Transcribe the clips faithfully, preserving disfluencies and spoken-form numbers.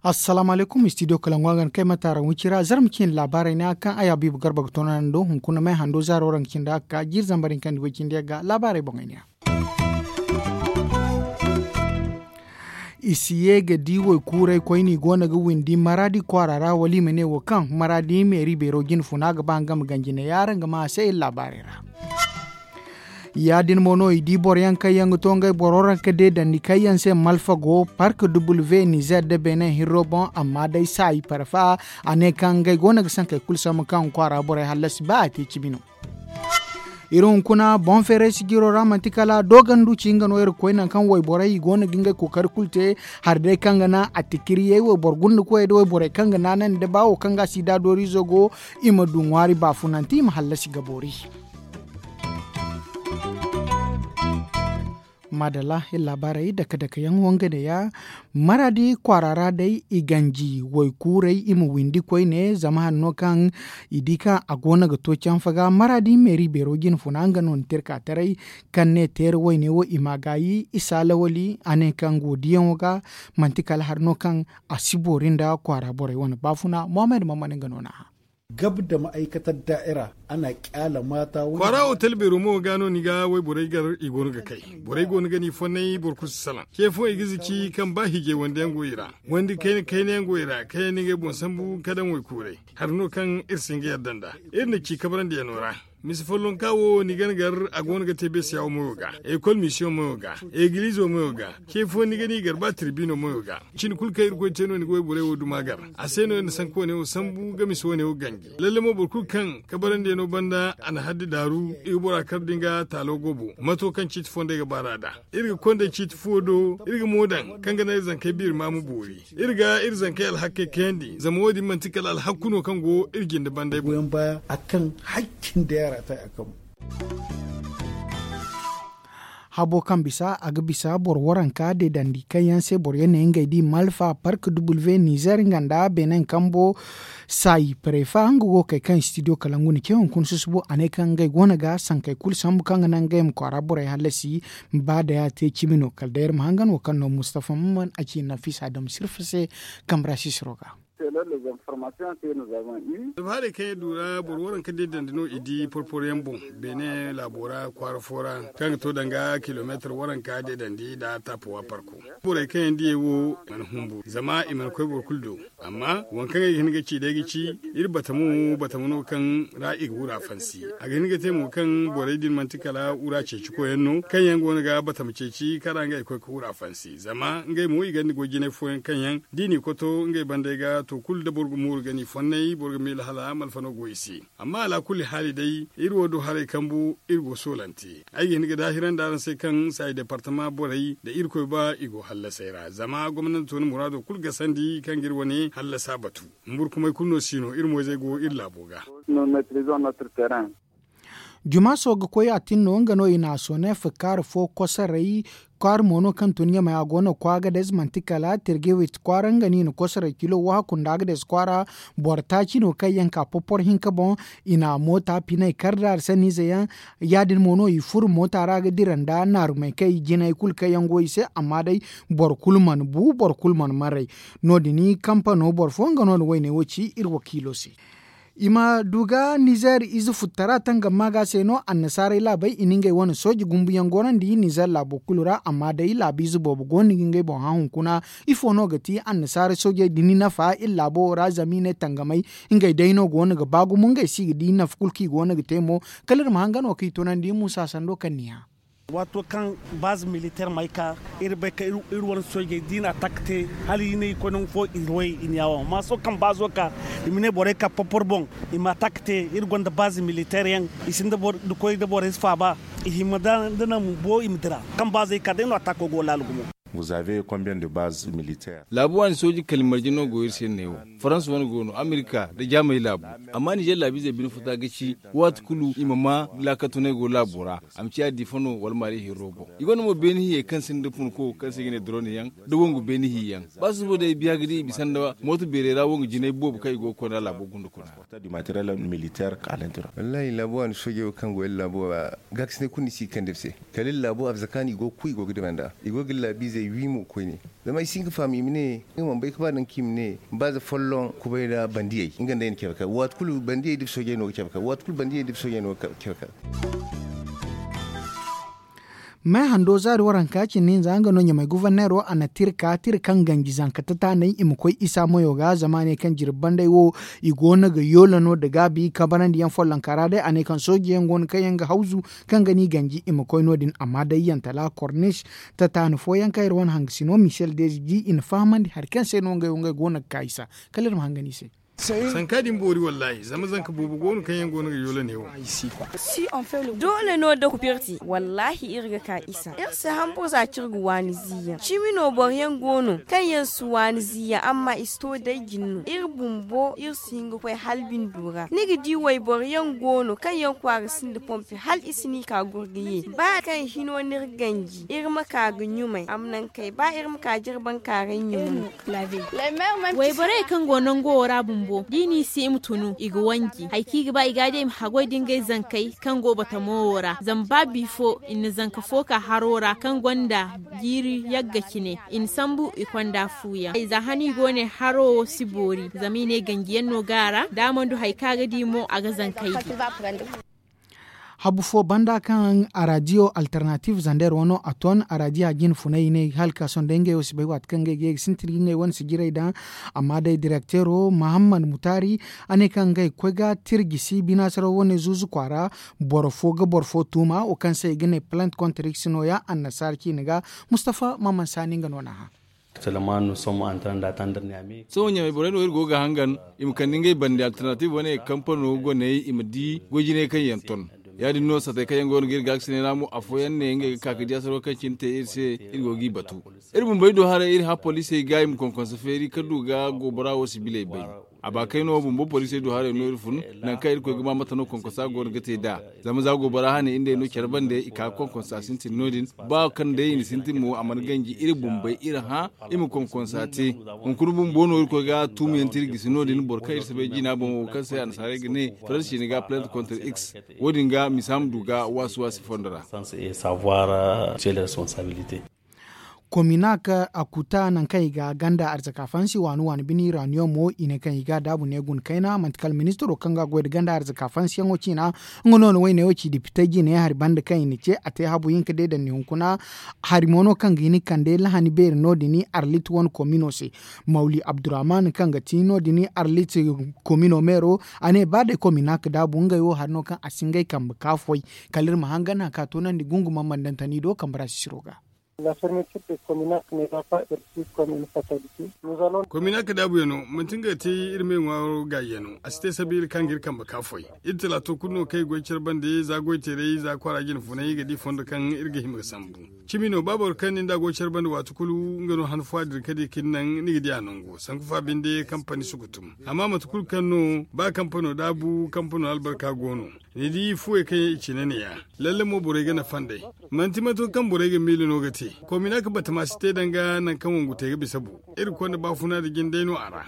Assalaamu alaykum, studio kalangu a ga na kay mataara wicira zarma cindi laabaarey ne a kaŋ ay habiibu garba ga toonandi do hunkuna may hando zaaro ra ga cindi a ga ka jiiri zambar hinka nda way cindi a ga laabaarey boŋey ne ya. I si ye ga di waykuuray koyne i go no ga windi maraadi kwaara ra wala i ma ne wo kaŋ maraadi meeri beero jine funa ga ba nga ma ganji ne yaara nga ma a se iri laabaarey ra. Ya- din mo no i di boro yaŋ kaŋ yaŋ ga to ngey boro ra ga deedandi kaŋ yaŋ se malfa go park w nizer da benin hirro boŋ amma day saayi parfa a ne kaŋ ngey go no ga sankey kulu sambu kaŋ kwaara borey hallasi ba a te cimi no. Iri hunkuna boŋ feeray sijiro ra manti kala doogandu ci nga no iri ga koy nangu kaŋ wayborey i go no ga ngey kookari kulu te. Hari day kaŋ ga naŋ a tikiriyey wayboro gunda koyey da wayborey kaŋ ga naanandi da ba wo kaŋ ga a si da dooriizo go i ma du ŋwaari baafunante i ma hallasi ga boori. Maadalla iri laabaarey dake dake yaŋ wo nga ne ya. Maraadi kwaara ra day i ganji waykuuray i ma windi koyne zama hari no kaŋ i di kaŋ a go no ga to canfa ga maraadi meeri beero jine funa nga no na te iri ka taray. Kaŋ ne teera wayne wo i ma a gaayi i si a lawali a ne kaŋ go diyaŋo ga. Manti kala hari no kaŋ a si boori nda kwaara borey wane baafuna muhammad mammad nga no na a. Gab da ma'aikatar daa'ira ana kyala mata wani kwaara otel beero mo ga no ni ga wayborey gar i go no ga kay. Borey go no ga ni fonnay boro kulu si salaŋ ce fo i ga zaci kaŋ ba hijay wande yaŋ go i ra, wande kayna kayna yaŋ go i ra kaŋ yaŋ na ngey boŋ sambu ka daŋ waykuuray. Hari no kaŋ iri si hin ga yadda nd'a iri na ci kabrandiyano ra. Misa follonka wo ni gana gar a go no ga te beesiya wo moyo ga, ekol misiyoŋ moyo ga, egiliizo moyo ga. Ce fo ni ga ni gar ba tirbino moyo ga. Cine kulu kaŋ irkoy te no ni ga wayborey wo duma gar. A se no iri na sanka wane wo sambu ga misa wane wo ganji lalle mo boro kulu kaŋ kabarandiyano banda a na haddi daaru i ga bora kar da nga taalo gobo mato kaŋ ciiti fondey ga baar'a nd'a. Iri ga kondey ciiti fuwo do iri ga mo daŋ kaŋ ga naŋ iri zankey biiri ma ma boori. Iri ga iri zankey alhakkey kayandi zama wo- din manti kala alhakku no kaŋ go iri jinde bandey boŋ. Goyaŋ baya a kaŋ hakkin da yaara ta a kaŋ. Habo kaŋ bisa a ga bisa boro waranka deedandi kaŋ yaŋ se boro yaŋ ne ngey di malfa park w nizer nga nda benin kambo. Saayi parefa nga go ga kay kaŋ studio kala nga na ce hunkuna susubo a ne kaŋ ngey go no ga sankey kulu sambu kaŋ ga naŋ ngey ma kwaara borey hallasi. Ba day a te cimi no kala day iri ma hangan wo kaŋ no mustafa mamman a ci nafisa dam sirfa se. Kamra sisiro ga. Alfahaarey kaŋ iri du ra boro waranka deedandi no i di porporo yaŋ boŋ. Beene laabo ra kwaara fo ra kaŋ ga to danga kilomeetar waranka deedandi nda taapuwa parko. Borey kaŋ yaŋ diyey wo mana hunburu zama i mana koy boro kulu do. Amma waŋ kaŋ ay ga hin ga ci day ga ci iri batamo batamo no kaŋ ra i ga wura fansi. A ga hin ga te mo kaŋ borey din manti kala wura ceeci koyyaŋ no kaŋ yaŋ go no ga batama ceeci kaŋ ra ngey koy ga wura fansi zama ngey mo i gonda goy jinay fooyaŋ kaŋ yaŋ da i n'i koto ngey bandey ga to kulu da boro ga mooru ga n'i fonnay boro ga miila hala malfa no go i se. Amma alaakulli haali day iri wo do haray kambu iri go soolante ay ga hin ga daahirandi araŋ se kaŋ saayi departama borey da irkoy ba i go hallasey ra zama gomnanto na muraado kulu gasandi kaŋ ga iri wane hallasa batu. Humburkumay kulu no si no iri moyzey go iri laabo ga. Jumaaso ga koy a tin no nga no i na a soonef kaari fo kosoray. Kaari mo no kaŋ tun ɲamay a go no kwaagades manti kala tirgewit kwaara nga no i na kosoray kilo wahakku nda agades kwaara. Boro taaci no kaŋ yaŋ ka popor hinka boŋ. I na moota pinay kar da hari sanniize yaŋ. Ya- din mo no i furo moota ra ga dira nda naarumey kaŋ i jinay kulu kaŋ yaŋ go i se amma day boro kulu mana bu boro kulu mana maray. No- din kampano boro fo nga no na wayne wo ci iri wakiilo se. I ma du ga nizer ize futtara tangam maaga se no annasaarey laabey i na ngey wane sooje gumbuyaŋ gorandi nizer laabo kulu ra amma day laabiize boobo go no ga ngey boŋ hã hunkuna. Ifo no ga ti annasaara soojey da ni nafa iri laabo wo ra zama i ne tangamey ngey day no go no ga ba gumo ngey se i ga di nafa kulu kaŋ i go no ga te mo. Kala iri ma hangan wo kaŋ i tunandi muusa sando kaŋ ni hã. Waato kaŋ baaze militeer may ka iri bay ka iri wane soojey da i na atak te hala i ne i koy nangu fo i way i na yaawo amma sohõ kaŋ baazo ka i ma ne borey ka porpor boŋ. I ma atak te iri gonda baaze militeer yaŋ i sinda da koy da borey si faaba. I hima da naŋ bo i ma dira kaŋ baazey ka day no atako go laala gumo. Laabu waani sooji kalimarje no go iri se neewo. Farans wane go no, amerika nda jaamay laabu. Amma nizer laabiizey bine futa ga ci, waati kulu i ma ma laakatunay go laabo ra. A ma ciya diifa no wala maali hirro boŋ. I gonda mo beeni hiyey kaŋ sinda funko kaŋ se i ga ne dorone yaŋ, nda wangu beeni hiya yaŋ. Ba susubo day biya ga di i bisa nda mooto beerey ra wangu jinay boobo kaŋ i go ga koy nd'a laabo gunda kuna. Wallahi laabu waani soojey wo kaŋ go iri laabo ra, gaakasinay kulu ni si ga kande iri se. Kala iri laabo arzaka no i go ga ku i go ga dima nd'a, i go ga iri laabiizey wi mo koyne. Zama ay si hin ga faham i ma ne, nga mana bay ga ba nangu kaŋ i ma ne, baaza folloŋ kubay ra bandiyey nga nda ay na care kar waati kulu bandiyey da iri soojey no ga care kar waati kulu bandiyey da iri soojey no ga care kar. May hando zaari waranka cindi hinza nga no ɲamay guverneero a na tira ka tira kaŋ ganji zanka tataanay i ma koy isa mayo ga zama a ne kaŋ jirbi banday wo i go no ga yoola no nda gaabi kabarandi yaŋ follonka ra day a ne kaŋ sooji yaŋ go no kaŋ yaŋ ga hawzu kaŋ ga ni ganji i ma koy no- din amma day yantala kornis tataani fooyaŋ kaŋ iri wane hangasino michel dezi di i na fahamandi hari kaŋ se no ngey wo ngey go no ga ka isa. Kala iri ma hangan i se. Sanka din boori wallahi zama zanka boobo go no kaŋ yaŋ go no ga yoola ne wo. Doole no da kupirti wallahi iri ga ka isa iri si hambur za kaŋ iri ga waani ziiyaŋ cimi no boro yaŋ go no kaŋ yaŋ si waani ziiyaŋ amma i si to day jin no iri bumbo iri si hin ga koy hala bindo ra ni ga di wayboro yaŋ go no kaŋ yaŋ kwaara sinda pompe hala i si ni ka gurga ye ba kaŋ hino ni iri ganji iri ma ka ga ɲumay a ma naŋ kay ba iri ma ka jirbankaaray ɲumay. Wayborey kaŋ go nango wo ra bumbo da i n'i se i ma tunu i ga wanji hari kaŋ i ga ba i ga a di i ma haggoy da ngey zankey kaŋ go batamo wo ra zama ba bifo i na zanka fo ka haro ra kaŋ gonda jiiri yagga cine i na sambu i konda fuuyaŋ za hano i go ne haro wo si boori zama i ne ganjiyaŋ no ga a ra da a mana du hari kaŋ a ga di mo a ga zankey di. Habu fo banda kaŋ a raadiyo alternative zander wano a ton a raadiya jine funay i ne hala ka sohõ day ngey wo si bay waati kaŋ ngey ga ye ga sintin ga ngey wane sijirey daŋ. Amma day direkteero mahammad mutaari a ne kaŋ ngey ga koy ga tirjisi binaasaraw wane zuuzu kwaara boro fo ga boro fo tuuma wo kaŋ se i ga ne plant kontrix nooya annasaara ciine ga. Mustafa maman saani nga no n'a hã. Sohõ ɲamay borey no iri go ga hangan i ma kande ngey bande alternatib wane kampano goney i ma di goy jinay kaŋ yaŋ ton. Ya- din no satey kaŋ yaŋ go no ga iri gaakasinay ra mo afooyaŋ ne ngey ga ka ga di asaro kaŋ cine te iri se. Iri go g'i batu iri bumbey du haray iri hã poliisey ga i ma konkonsa feeri ka du ga goobora wo sibiley bay. A ba kay no bumbo poliisey du haray no iri fun nangu kaŋ irkoy ga ba mate no konkonsa go no ga te nd'a. Zama za goobora hane iri nd'ey no care bande i ka ga konkonsa sintin no- din. Ba kaŋ day i na sintin mo a mana ganji iri bumbey iri hã i ma konkonsa te. Hunkuna bumbo no irkoy ga tuumiyaŋ te iri gisi no- din boro kaŋ iri si bay jina boŋ wo kaŋ se annasaarey ga ne faransi ni ga plante contre x. Wo- din ga misa ma du ga waasi waasi fondo ra. Kominak a kuta nangu kaŋ i ga ganda arzaka fansi waani waani bine iraniyoŋ mo i ne kaŋ i ga a daabu ne guna kayna manti kala ministiro kaŋ ga a goy nda ganda arzaka fansiyaŋo ciina. Nga no na woyney wo ci depite jine hari banda kaŋ i na ce a te habu hinka day daŋ ni hunkuna. Hari mo no kaŋ ga hin ga kande lahani beeri no- din arlit wane komino se. Mawli abdurrahman kaŋ ga ti no- din arlit komino meero a ne ba day kominak daabu ngey wo hari no kaŋ a si ngey kambe ka foy. Kala iri ma hangan nangu kaŋ a toonandi gungumaŋ mandantani do kambe ra sisiro ga. Kominak daabuyaŋo manti nga ga te iri me ŋwaaro gaayiyaŋo a si te sabiila kaŋ ga iri kambe ka foy. Iri talaato kulu no kaŋ i goy care bande za goy teeray za kwaara jine funay i ga di fondo kaŋ iri ga hima ga sambu. Cimi no ba boro kaŋ ni nd'a go care bande waati kulu nga no han fo a dira ka di ka ni naŋ ni ga di a nango sanku fa binde kampani sukutum. Amma mate kulu kaŋ no ba kampano daabu kampano albarka go no. Ni di fuwey kaŋ yaŋ i cine ne- ya lalle mo borey ga nafa nd'ey. Manti mato kaŋ borey ga miila no ga te. Kominak batama si te danga nangu kaŋ wangu te ga bisa bu. Iri konda baafuna nda jindey no a ra.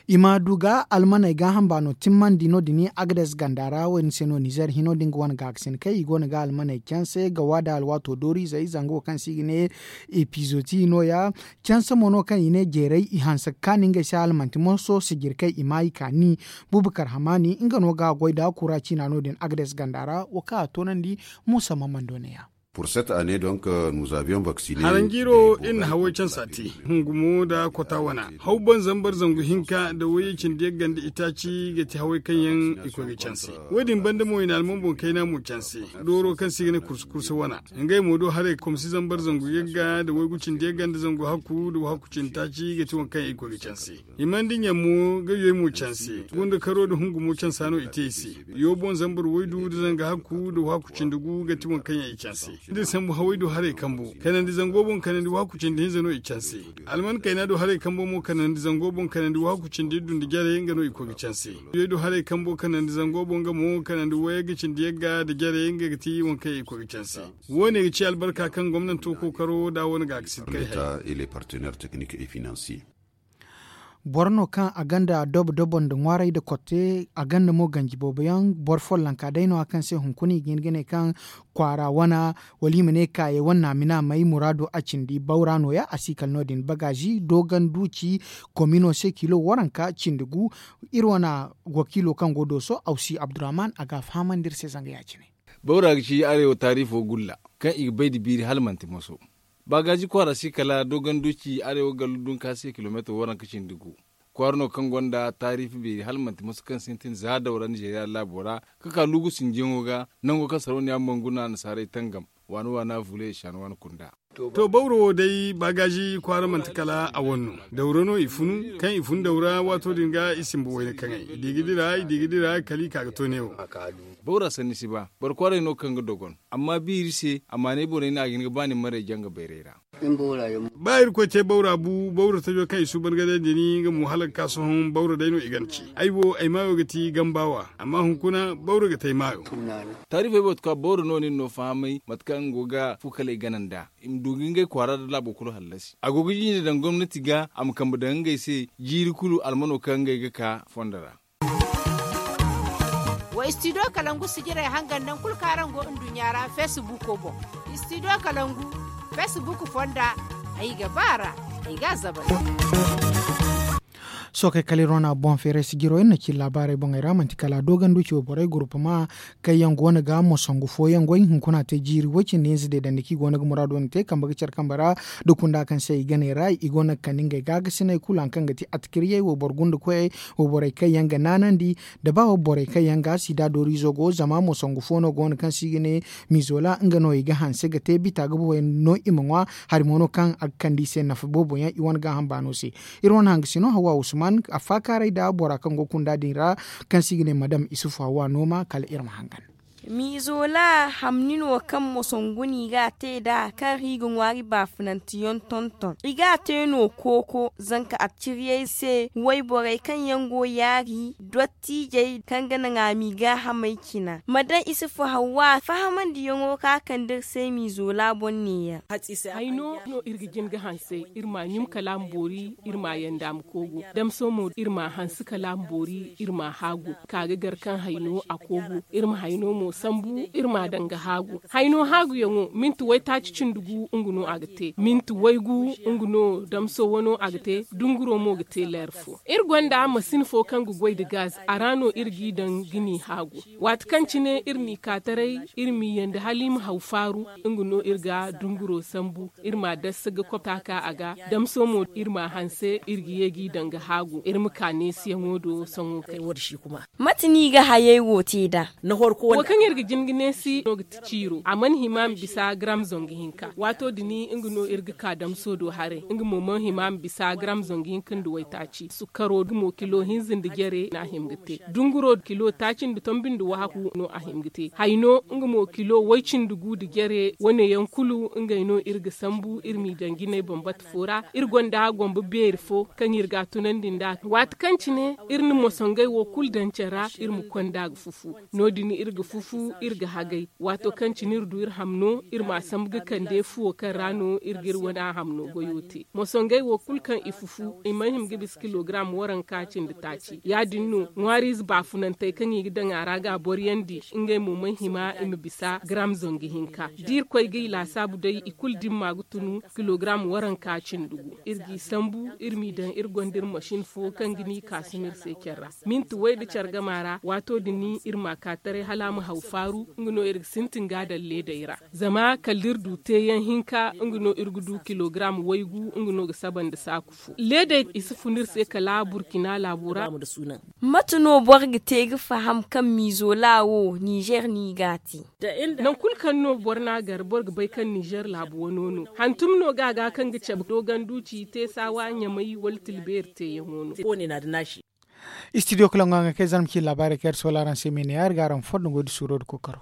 I ma du ga almaney gaaham baano timmandi no- din agades ganda ra wo- din se no nizer hino da nga wane gaakasin kaŋ i go no ga almaney canse ga waada alwaato dooriizey zanga wo kaŋ se i ga ne epizoti no- ya. Canse mo no kaŋ i ne jeeray i hanse ga kaani ngey se hala manti morso sijiri kaŋ i maayi kaani. Bubakar hamaani nga no ga a goy nda kura ciina no- din agades ganda ra wo kaŋ a toonandi. Muusa mamando ne- ya. Pour cette année donc nous avions vacciné. Haranjiiro iri na haway cansa te, hungumo nda kota wana haw boŋ zambar zangu hinka nda wayye cindi yagga nda itaaci ga ti haway kaŋ yaŋ i koy ga canse. Wo- din banda mo i na alman boŋ kayna mo canse, dooro kaŋ se i ga ne kursu kursu wana. Ngey mo do haray komsi zambar zangu yagga nda waygu cindi yagga nda zangu hakku nda wahakku cindi taaci ga ti waŋ kaŋ yaŋ i koy ga canse. Himandi ɲammo ga yoy mo canse, gunda karo nda hungumo cansa no i te i se. Yo boŋ zambar waydu nda zanga hakku nda wahakku cindi gu ga ti waŋ kaŋ yaŋ i canse. Nda sambu haway do haray kambo kanandi zango boŋ kanandi wahakku cindi hinza no i canse. Alman kayna do haray kambo mo kanandi zango boŋ kanandi wahakku cindi iddu nda jare nga no i koy ga canse. Yoy do haray kambo kanandi zango boŋ nga mo kanandi wayagga cindi yagga nda jare nga ga ti waŋ kaŋ yaŋ i koy ga canse. Wo- ne ga ci albarka kaŋ gomnanto kookaro nda a wane ga ga si kay hari. Boro no kaŋ a gonda dobo dobo nda ŋwaaray nda kotte a gonda mo ganji boobo yaŋ boro follonka day no- ya kaŋ se hunkuna i ga hin ga ne kaŋ kwaara wana wala i ma ne kaayey wane naamina may muraado a cindi bawra no- ya a si kala no- din bagaazi doogan duuci komino se kilo waranka cindi gu. Iri wane wakiilo kaŋ go dooso awsi abdurrahman a ga a fahamandi iri se zanga ya- cine. Bawra ga ci arewa taarifo gulla kaŋ i ga bay nda biiri hala manti moso. Baagaaji kwaara si kala dogonduci arewa gallu dunka se kilomeetar waranka cindi gu. Kwaara no kaŋ gonda taarifi beeri hala manti moso kaŋ sintin za dawra nizeeriya laabo ra, ka ka lugu sinjiyaŋo ga nango kaŋ sarauniya manguna nasaarey tangam waana waana vule i shaana waana kunda. To bawro wo day baagaaji kwaara manti kala a wane no. Dawra no i funu kaŋ i fun dawra waato din ga i simba wayna kaŋay i di ga dira i di ga dira kala i ka ga to neewo. Bawra sanni si ba boro kwaaray no kaŋ ga dogon. Amma biiri se a maanay borey no a ga hin ga ba ni maray janga bayray ra. Ba irkoy te bawra bu bawra tajo kaŋ i suuban ga day din nga mo hala ga ka sohõ bawra day no i gana ci. Ay wo ay maayo ga ti gambaawa amma hunkuna bawra ga te ay maayo. Taarifey boro ga ka bawra no nin no fahamay mate kaŋ nga go ga fu kala i gana nd'a. I ma du ga ngey kwaara nda laabo kulu hallasi a go ga jiine daŋ gomnati ga a ma kambe daŋ ngey se. Jiiri kulu almano kaŋ ngey ga ka fondo ra. Wa istidiyo kalangu sijirey hangan naŋ kulu kaŋ araŋ go nduɲɲa ra feesibuuko boŋ. Istidiyo kalangu feesibuuk fonda ay ga ba a ra. Ay ga a zabar. Sookey kala iri wane boŋ feeray sijiro iri na ci laabaarey boŋey ra manti kala a doogandi ci wayborey gurupama kaŋ yaŋ go no ga mosongu fooyaŋ goy hunkuna te jiiri way cindi hinza deedandi kaŋ i go no ga muraado wane te kambe ga care kambe ra. Da kunda kaŋ se i ga ne ra i go no ga kande ngey gaagasiney kulu hari kaŋ ga ti atikiriyey wayboro gunda koyey wayborey kaŋ yaŋ ga naanandi da ba wayborey kaŋ yaŋ ga sida dooriizo go zama mosongu fo no go no kaŋ se i ga ne miizola nga no i ga hanse ga te bita ga boboyaŋ no i ma ŋwa. Hari mo no kaŋ a ga kande i se nafa boobo yaŋ i wane gaaham baano se. Iri wane hangasino hawa usman a faakaaray nda bora kaŋ go kunda din ra kaŋ se i ga ne madam isufu hawa nooma kala iri ma hangan. Miizola hamni no kaŋ mosongu no i ga a te nd'a kaŋ ra i ga ŋwaari baafunanteyaŋ tonton i ga a te no kooko zanka atikiriyey se wayborey kaŋ yaŋ go yaari dottiijey kaŋ ga naŋ a m'i gaahamey cina ma daŋ isufu hawa fahamandiyaŋo kaŋ a kande iri se miizola boŋ neeyaŋ. Hayno no iri ga jin ga hanse iri ma ɲum kala a ma boori iri ma yanda ma koogu damso mo iri ma hanse kala a ma boori iri ma haagu ka ga gar kaŋ hayno a koogu iri ma hayno mo sambu iri ma daŋ ga haagu. Hayno haaguyaŋo minti waytaaci cindi gu nga no a ga te minti waygu nga no damso wano a ga te dunguro mo ga te leer fo. Iri gonda masin fo kaŋ ga goy nda gaz a ra no iri g'i daŋ ga n'i haagu. Waati kaŋ cine iri n'i ka taray iri m'i yanda hala i ma haw faaru nga no iri ga dunguro sambu iri m'a dassa ga kopta ka a ga damso mo iri m'a hanse iri ga ye g'i daŋ ga haagu iri ma ka neesiyaŋo do sohõ kay. Mate no i ga hayey wo te nd'a? Wo kaŋ iri ga jin ga neesi no ga ti ciiro a mana hima ma bisa garam zangu hinka waato din nga no iri ga ka damso do haray nga mo mana hima ma bisa garam zangu hinka nda waytaaci sukkaro nga mo kilo hinza nda jare no a hima ga te dunguro kilo taaci nda tombi nda wahakku no a hima ga te hayno nga mo kilo way-cindi gu nda jare wane yaŋ kulu ngey no iri ga sambu iri m'i daŋ jinay bambata fo ra. Iri gonda gombo beeri fo kaŋ iri ga a tunandi nd'a waati kaŋ cine iri na mosongey wo kulu daŋ care ra iri ma konda ga fufu. No- din iri ga fufu iri ga hagay waato kaŋ cine iri du iri hamno iri m'a sambu ga kande fuwo kaŋ ra no iri ga iri wane a hamno goyo te mosongey wo kulu kaŋ i fufu i mana hima ga bisa kilogaram waranka cindi taaci ya- din no ŋwaariize baafunantey kaŋ i ga daŋ a ra ga a boryandi ngey mo mana hima i ma bisa garam zangu hinka da irkoy ga i laasaabu day i kulu dimma ga tunu kilogaram waranka cindi gu iri g'i sambu iri m'i daŋ iri gonda iri masin fo kaŋ ga n'i kaasun iri se care ra minti way nda care gama ra waato din iri m'a ka taray hala a ma haw. Faaru nga no iri ga sintin ga daŋ leedey ra, zama kala da iri du teeyaŋ hinka nga no iri ga du kilogaram waygu nga no ga saba nda saaku fo. Leedey i si fun iri se kala burkina laabo ra. Mate no boro ga te ga faham kaŋ miizo laawo nizer no i g'a te? Nangu kulu kaŋ no boro n'a gar boro ga bay kaŋ nizer laabu wano no hantum no ga a ga kaŋ ga cabe dooganduuci te saawa ɲamay wala tilbeeri teeyaŋo no. Istidiyo kala ŋwa ga kay zarma ci laabaarey kaŋ iri soola araŋ se meene ya iri ga araŋ fondo goy da suuro da kookaro.